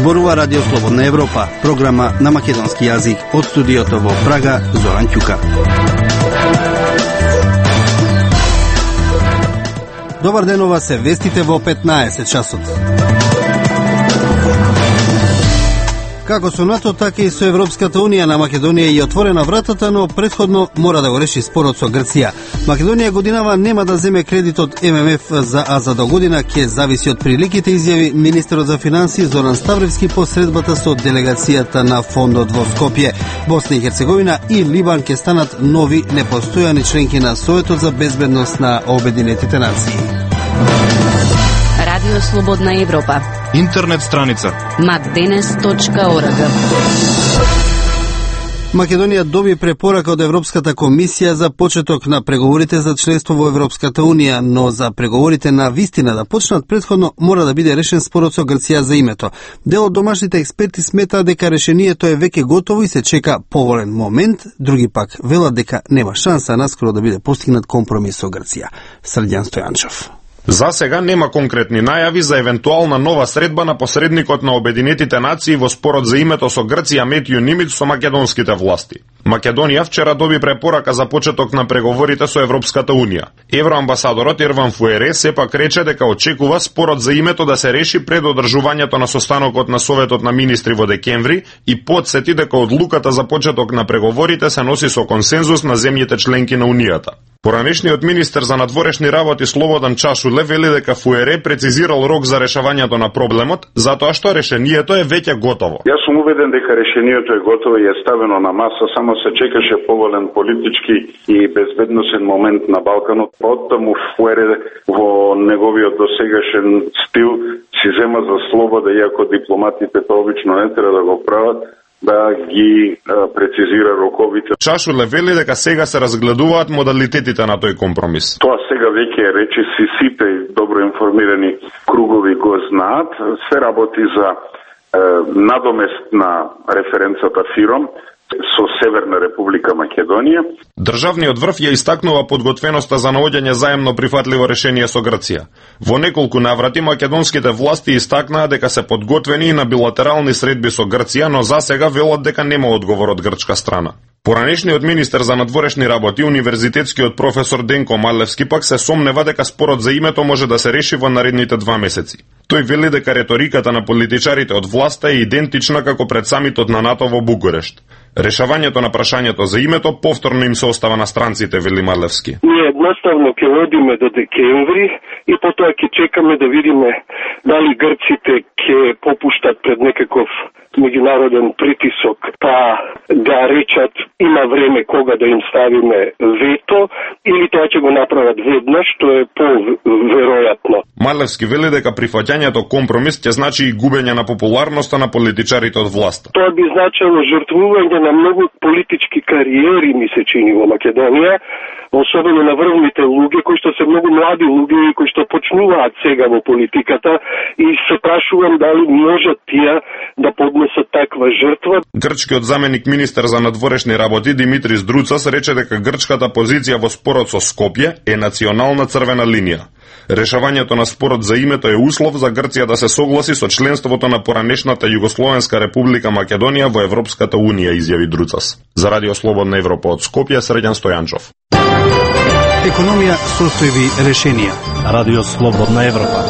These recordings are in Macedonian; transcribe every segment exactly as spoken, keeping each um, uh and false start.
Зборува Радио Слободна Европа, програма на македонски јазик од студиото во Прага, Зоран Ќука. Добар ден, ова се вестите во петнаесет часот. Како со НАТО, така и со Европската Унија на Македонија е отворена вратата, но претходно мора да го реши спорот со Грција. Македонија годинава нема да земе кредит од Ем Ем Еф, за, а за до година ќе зависи од приликите, изјави министерот за финансии Зоран Ставревски по средбата со делегацијата на фондот во Скопје. Босна и Херцеговина и Либан ќе станат нови непостојани членки на Советот за безбедност на Обединетите нации. Радио Слободна Европа. Интернет страница макденес точка орг. Македонија доби препорака од Европската комисија за почеток на преговорите за членство во Европската Унија, но за преговорите на вистина да почнат претходно мора да биде решен спорот со Грција за името. Дел од домашните експерти сметаат дека решението е веќе готово и се чека поволен момент, други пак велат дека нема шанса наскоро да биде постигнат компромис со Грција. Срдјан Стојанчов. За сега нема конкретни најави за евентуална нова средба на посредникот на Обединетите нации во спорот за името со Грција Метју Нимиц со македонските власти. Македонија вчера доби препорака за почеток на преговорите со Европската Унија. Евроамбасадорот Ерван Фуере сепак рече дека очекува спорот за името да се реши пред одржувањето на состанокот на Советот на министри во декември и потсети дека одлуката за почеток на преговорите се носи со консензус на земјите членки на Унијата. Поранешниот министер за надворешни работи Слободан Чашуле вели дека Фуере прецизирал рок за решавањето на проблемот, затоа што решението е веќе готово. Јас сум убеден дека решението е готово и е ставено на маса, само се чекаше поволен политички и безбедносен момент на Балканот. Оттаму Фуере во неговиот досегашен стил си зема за слобода, иако дипломатите тоа обично не треба да го прават, да ги а, прецизира роковите. Чашуле вели дека сега се разгледуваат модалитетите на тој компромис. Тоа сега веќе е речи, си сите добро информирани кругови го знаат. Се работи за е, надомест на референцата ФИРОМ со Северна Република Македонија. Државниот врв ја истакнува подготвеноста за наоѓање заемно прифатливо решение со Грција. Во неколку наврати македонските власти истакнаа дека се подготвени и на билатерални средби со Грција, но за сега велат дека нема одговор од грчка страна. Поранешниот министер за надворешни работи, универзитетскиот професор Денко Малевски пак се сомнева дека спорот за името може да се реши во наредните два месеци. Тој вели дека реториката на политичарите од власта е идентична како пред самитот на НАТО во Бугурешт. Решавањето на прашањето за името повторно им се остава на странците, вели Малевски. Ние едноставно ќе одиме до декември и потоа ќе чекаме да видиме дали грците ќе попуштат пред некаков меѓународен притисок, па да речат има време кога да им ставиме вето, или тоа ќе го направат веднаш, што е поверојатно. Малевски вели дека прифаќањето компромис ќе значи и губење на популарноста на политичарите од власта. Тоа би значило жртвување на многу политички кариери, ми се чини, во Македонија, особено на врвните луѓе, кои што се многу млади луѓе и кои што почнуваат сега во политиката, и се прашувам дали можат тие да поднесат таква жртва. Грчкиот заменик министер за надворешни работи Димитрис Друцас рече дека грчката позиција во спорот со Скопје е национална црвена линија. Решавањето на спорот за името е услов за Грција да се согласи со членството на поранешната Југословенска република Македонија во Европската Унија, изјави Друцас. За Радио Слободна Европа од Скопје, Срдјан Стојанчов. Економија, состојби, решенија. Радио Слободна Европа.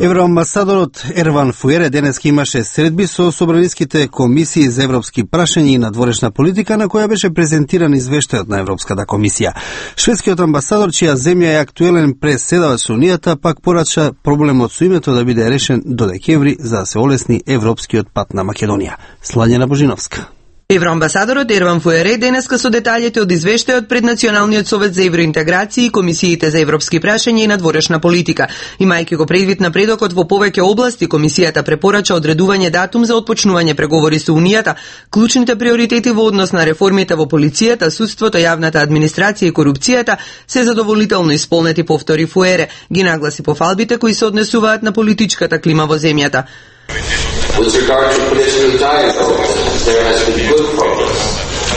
Евроамбасадорот Ерван Фуере денеска имаше средби со собраниските комисии за европски прашања и надворешна политика, на која беше презентиран извештајот на Европската комисија. Шведскиот амбасадор, чија земја е актуелен преседавач со Унијата, пак порача проблемот со името да биде решен до декември за да се олесни европскиот пат на Македонија. Слањена Божиновска. Евроамбасадорот Ерван Фуере денеска со детаљите од извештајот пред Националниот совет за евроинтеграција и комисиите за европски прашања и надворешна политика. Имајќи го предвид напредокот во повеќе области, комисијата препорача одредување датум за отпочнување преговори со Унијата, клучните приоритети во однос на реформите во полицијата, судството, јавната администрација и корупцијата се задоволително исполнети, повтори Фуере. Ги нагласи пофалбите кои се однесуваат на политичката клима во земјата. With regard to political dialogue, there has been good progress.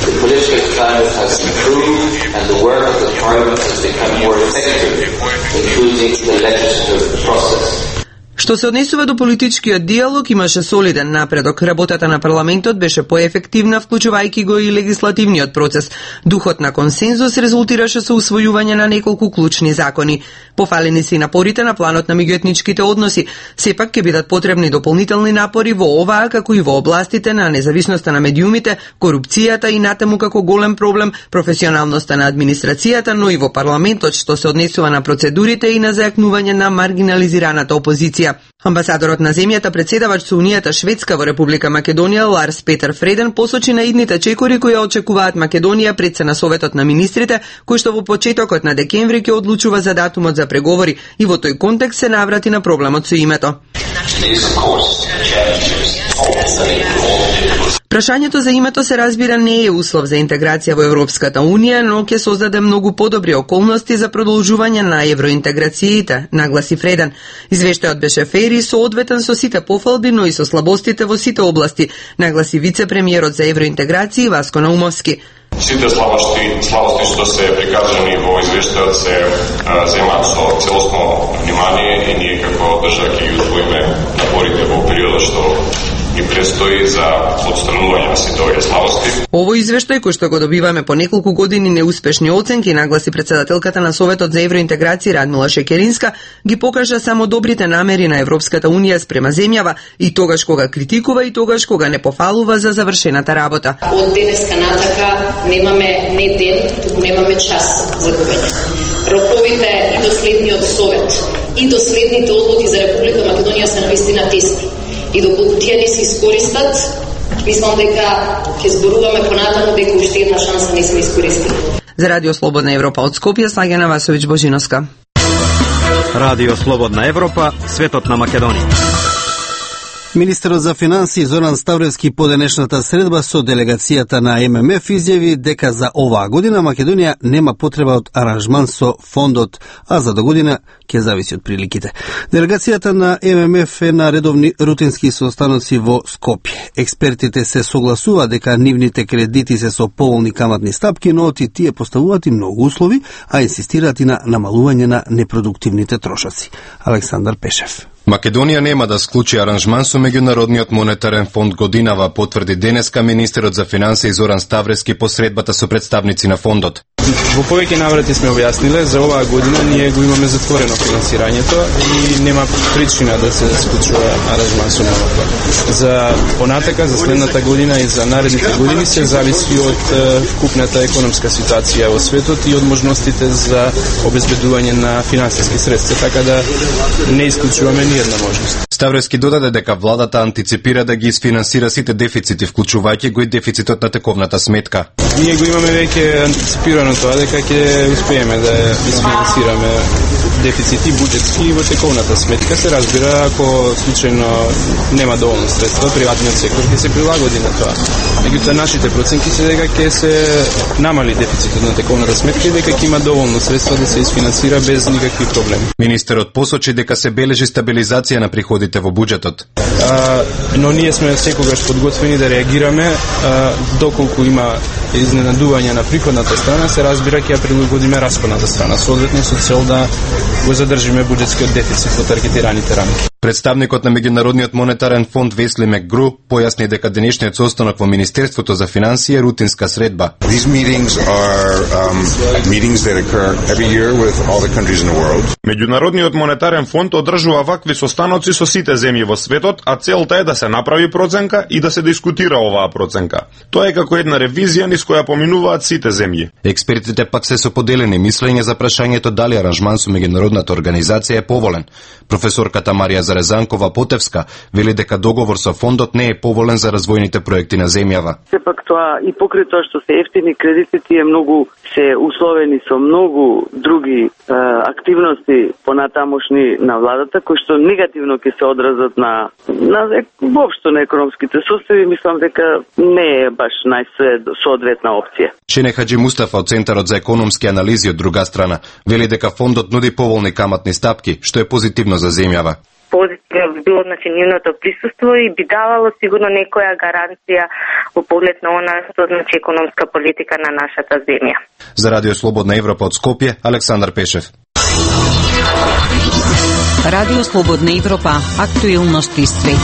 The political climate has improved and the work of the Parliament has become more effective, including the legislative process. Што се однесува до политичкиот диалог, имаше солиден напредок. Работата на парламентот беше поефективна, вклучувајќи го и легислативниот процес. Духот на консензус резултираше со усвојување на неколку клучни закони. Пофалени се и напорите на планот на меѓуетничките односи. Сепак ќе бидат потребни дополнителни напори во оваа, како и во областите на независноста на медиумите, корупцијата и натаму како голем проблем професионалноста на администрацијата, но и во парламентот што се однесува на процедурите и на зајакнување на маргинализираната опозиција. Амбасадорот на земјата, председавач со Унијата Шведска во Република Македонија, Ларс Петер Фреден, посочи на идните чекори кои очекуваат Македонија пред се на Советот на министрите, кој што во почетокот на декември ќе одлучува за датумот за преговори, и во тој контекст се наврати на проблемот со името. Прашањето за името се разбира не е услов за интеграција во Европската Унија, но ќе создаде многу подобри околности за продолжување на евроинтеграциите, нагласи Фреден. Извештајот беше фер и соодветен со сите пофалби, но и со слабостите во сите области, нагласи вице-премиерот за евроинтеграција Васко Наумовски. Сите слабости, слабости што се прикажани во извештајот се земаат со целосно внимание и ние како држава ќе ги усвоиме напорите во периодот што и престои за отстранување на сите овие слабости. Овој извештај, кој што го добиваме по неколку години неуспешни оценки, нагласи председателката на Советот за евроинтеграција Радмила Шекеринска, ги покажа само добрите намери на Европската Унија спрема земјава и тогаш кога критикува и тогаш кога не пофалува за завршената работа. Од денеска натака немаме не ден, туку немаме час за губење. Роковите и до следниот Совет и до следните одлуки за Република Македонија се навистина тесни. И доколку тие не се искористат, мислам дека ќе зборуваме понатаму дека уште една шанса не сме искористили. За Радио Слободна Европа од Скопје, Слагена Васовиќ Божиновска. Радио Слободна Европа, светот на Македонија. Министерот за финансии Зоран Ставревски по денешната средба со делегацијата на М М Ф изјави дека за оваа година Македонија нема потреба од аранжман со фондот, а за до година ќе зависи од приликите. Делегацијата на М М Ф е на редовни рутински состаноци во Скопје. Експертите се согласува дека нивните кредити се со поволни каматни стапки, но оти тие поставуваат и многу услови, а инсистираат и на намалување на непродуктивните трошоци. Александар Пешев. Македонија нема да склучи аранжман со Меѓународниот монетарен фонд годинава, потврди денеска министерот за финансии Зоран Ставревски по средбата со представници на фондот. Во повеќе наврати сме објасниле, за оваа година ние го имаме затворено финансирањето и нема причина да се склучува аранжман со ММФ. За понатака, за следната година и за наредните години се зависи од вкупната економска ситуација во светот и од можностите за обезбедување на финансиски средства, така да не исклучуваме ни една можност. Ставревски додаде дека владата антиципира да ги isfinansira сите дефицити, вклучувајќи го и дефицитот на тековната сметка. Ние го имаме веќе антиципирано тоа дека ќе успееме да isfinansirаме дефицити буџетски во тековната сметка. Се разбира, ако случајно нема доволно средства, приватниот сектор ќе се прилагоди на тоа. Меѓутоа, нашите проценки се дека ќе се намали дефицитот на тековната сметка и дека ќе има доволно средства да се isfinansira без никакви проблеми. Министерот посочи дека се бележи стабилизација на приходите во буџетот. А, но ние сме секогаш подготвени да реагираме а, доколку има изненадување на приходната страна, се разбира ќе ја прилагодиме расходната страна, соодветно со цел да го задржиме буџетскиот дефицит во таргетираните рамки. Представникот на Меѓународниот монетарен фонд Весли Мекгру појасни дека денешниот состанок во Министерството за финансии е рутинска средба. These meetings are um, meetings that occur every year with all the countries in the world. Меѓународниот монетарен фонд одржува вакви состаноци со сите земји во светот, а целта е да се направи проценка и да се дискутира оваа проценка. Тоа е како една ревизија низ која поминуваат сите земји. Експертите пак се со поделени мислења за прашањето дали аранжман со меѓународната организација е поволен. Професорката Марија Зарезанкова Потевска вели дека договор со фондот не е поволен за развојните проекти на земјава. Сепак тоа и покрај тоа што се ефтини кредити, тие многу се условени со многу други е, активности понатамошни на владата, кои што негативно ќе се одразат на на воопшто на економските состојби. Мислам дека не е баш најсоодветна опција. Чене Хаджи Мустафа од Центарот за економски анализи од друга страна вели дека фондот нуди поволни каматни стапки, што е позитивно за земјава. Позитивно би било значи нивното присуство и би давало сигурно некоја гаранција во поглед на она што значи економска политика на нашата земја. За Радио Слободна Европа од Скопје, Александар Пешев. Радио Слободна Европа, актуелности свет.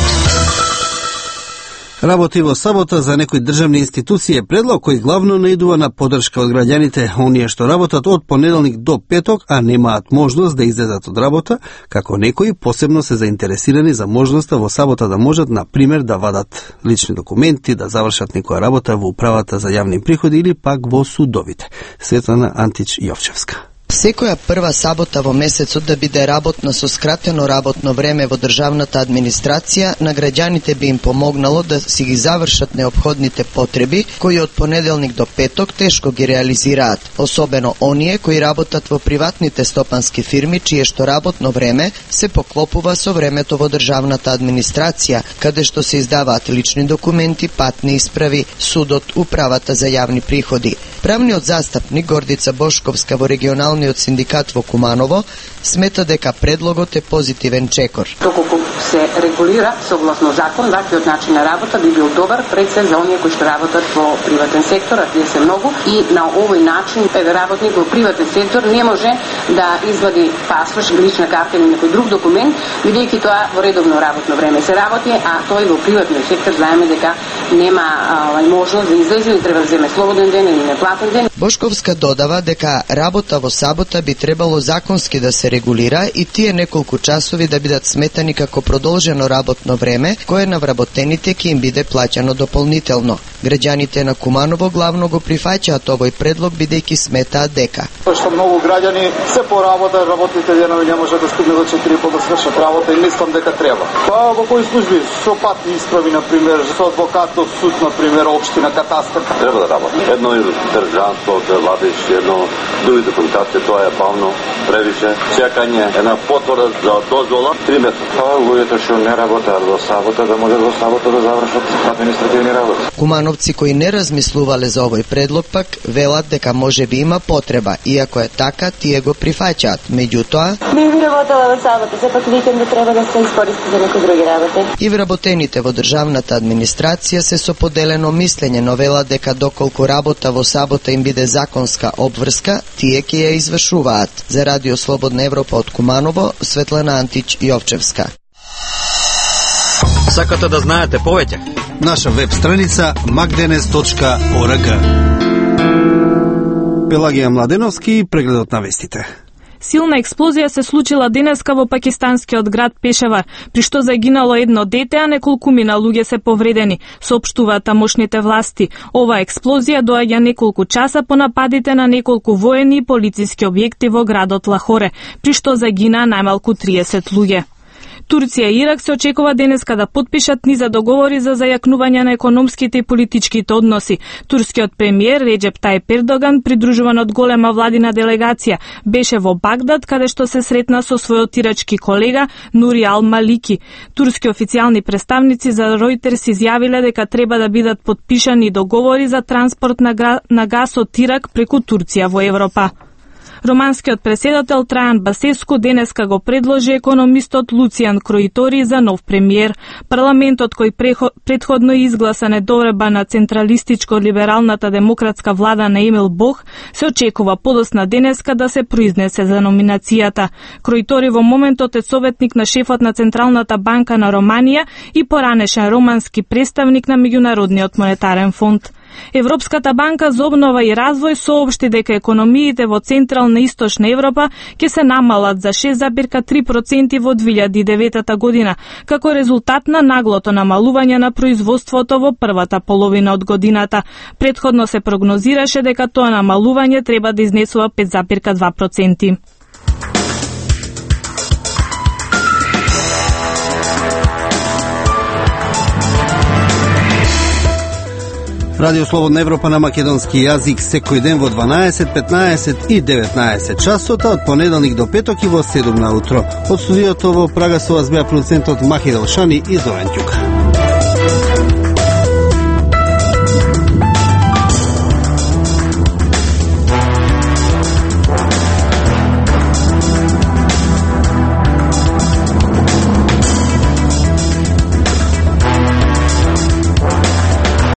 Работи во сабота за некои државни институции е предлог кој главно наидува на поддршка од граѓаните, оние што работат од понеделник до петок, а немаат можност да излезат од работа, како некои посебно се заинтересирани за можноста во сабота да можат, на пример, да вадат лични документи, да завршат некоја работа во управата за јавни приходи или пак во судовите. Светлана Антич Јовчевска. Секоја прва сабота во месецот да биде работна со скратено работно време во државната администрација, на граѓаните би им помогнало да си ги завршат неопходните потреби, кои од понеделник до петок тешко ги реализираат, особено оние кои работат во приватните стопански фирми, чие што работно време се поклопува со времето во државната администрација, каде што се издаваат лични документи, патни исправи, судот, управата за јавни приходи. Правниот застапник Гордица Бошковска во регионалниот синдикат во Куманово смета дека предлогот е позитивен чекор. Доколку се регулира согласно закон, ваквиот начин на работа би бил добар пред се за оние кои што работат во приватен сектор, а тие се многу, и на овој начин работник во приватен сектор не може да извади пасош, лична карта или некој друг документ, бидејќи тоа во редовно работно време се работи, а тој во приватниот сектор знаеме дека нема а, можност да излезе или треба да земе слободен ден или неплатен ден. Бошковска додава дека работа во сабота би требало законски да се регулира и тие неколку часови да бидат сметани како продолжено работно време, кое на вработените ќе им биде плаќано дополнително. Граѓаните на Куманово главно го прифаќаат овој предлог, бидејќи сметаат дека што многу граѓани се по работа, работните денови не може да стигне до четири по да свршат работа и мислам дека треба. Па во кои служби со патни исправи, на пример, со адвокатот, суд, на пример, општина, катастар, треба да работи. Едно и држанство да вадиш, едно други документација, тоа е бавно, превише. Чекање една потврда за дозвола три месеци. Па луѓето што не работат во сабота да можат во сабота да завршат административни работи. Кумановци кои не размислувале за овој предлог пак велат дека може би има потреба, иако е така, тие го прифаќаат. Меѓутоа, не би работела во сабота, сепак викендот треба да се искористи за некои други работи. И вработените во државната администрација се со поделено мислење, но велат дека доколку работа во сабота им биде законска обврска, тие ќе ја извршуваат. За Радио Слободна Европа од Куманово, Светлана Антич Јовчевска. Сакате да знаете повеќе? Наша веб страница макденес точка орг. Пелагија Младеновски, прегледот на вестите. Силна експлозија се случила денеска во пакистанскиот град Пешевар, при што загинало едно дете, а неколкумина луѓе се повредени, соопштуваат тамошните власти. Ова експлозија доаѓа неколку часа по нападите на неколку воени и полициски објекти во градот Лахоре, при што загина најмалку триесет луѓе. Турција и Ирак се очекува денеска да потпишат низа договори за зајакнување на економските и политичките односи. Турскиот премиер Реджеп Тајип Ердоган, придружуван од голема владина делегација, беше во Багдад, каде што се сретна со својот ирачки колега Нури Ал Малики. Турски официјални представници за Ројтерс изјавиле дека треба да бидат потпишани договори за транспорт на, гра... на газ од Ирак преку Турција во Европа. Романскиот преседател Трајан Басеску денеска го предложи економистот Луцијан Кроитори за нов премиер. Парламентот кој претходно изгласа недоверба на централистичко-либералната демократска влада на Емил Бох, се очекува подосна денеска да се произнесе за номинацијата. Кроитори во моментот е советник на шефот на Централната банка на Романија и поранешен романски представник на Меѓународниот монетарен фонд. Европската банка за обнова и развој соопшти дека економиите во Централна и Источна Европа ќе се намалат за шест зарез три проценти во две илјади и девета година, како резултат на наглото намалување на производството во првата половина од годината. Претходно се прогнозираше дека тоа намалување треба да изнесува пет зарез два проценти. Радио Слободна Европа на македонски јазик секој ден во дванаесет, петнаесет и деветнаесет часот, од понеделник до петок и во седум наутро. Од студиото во Прага со вас беа продуцентот Махи Делшани и Зоран Ѓука.